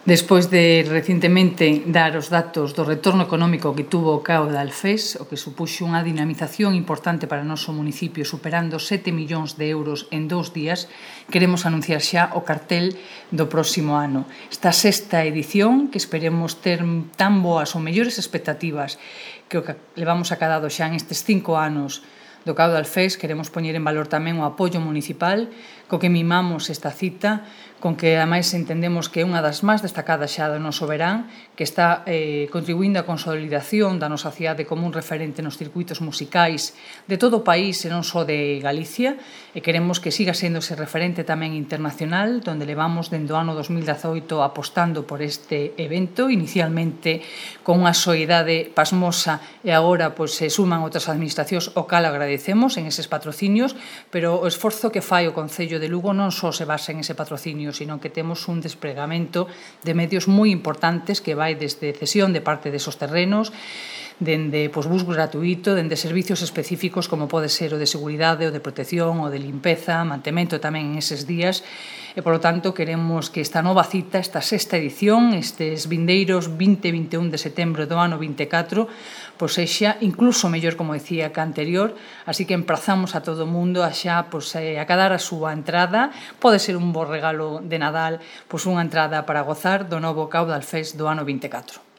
Despois de recentemente dar os datos do retorno económico que tuvo o Caudal Fest, o que supuxo unha dinamización importante para o noso municipio, superando 7 millóns de euros en 2 días, queremos anunciar xa o cartel do próximo ano. Esta sexta edición, que esperemos ter tan boas ou mellores expectativas que o que levamos acadado xa en estes 5 anos do Caudal Fest, queremos poñer en valor tamén o apoio municipal co que mimamos esta cita, con que ademais entendemos que é unha das máis destacadas xa do noso verán, que está contribuindo á consolidación da nosa cidade como un referente nos circuitos musicais de todo o país e non só de Galicia, e queremos que siga sendo ese referente tamén internacional, donde levamos dende o ano 2018 apostando por este evento, inicialmente con unha soidade pasmosa e agora se suman outras administracións, o cal agradecemos en eses patrocinios, pero o esforzo que fai o Concello de Lugo non só se basa en ese patrocinio, sino que temos un despregamento de medios moi importantes que vai desde cesión de parte desos terrenos, dende bus gratuito, dende servicios específicos como pode ser o de seguridade, o de protección, o de limpeza, mantemento tamén en eses días, e, polo tanto, queremos que esta nova cita, esta sexta edición, estes vindeiros 20 e 21 de setembro do ano 24, sexa incluso mellor, como decía, que a anterior, así que emprazamos a todo o mundo a xa acadar a súa entrada. Pode ser un bo regalo de Nadal, unha entrada para gozar do novo Caudal Fest do ano 24.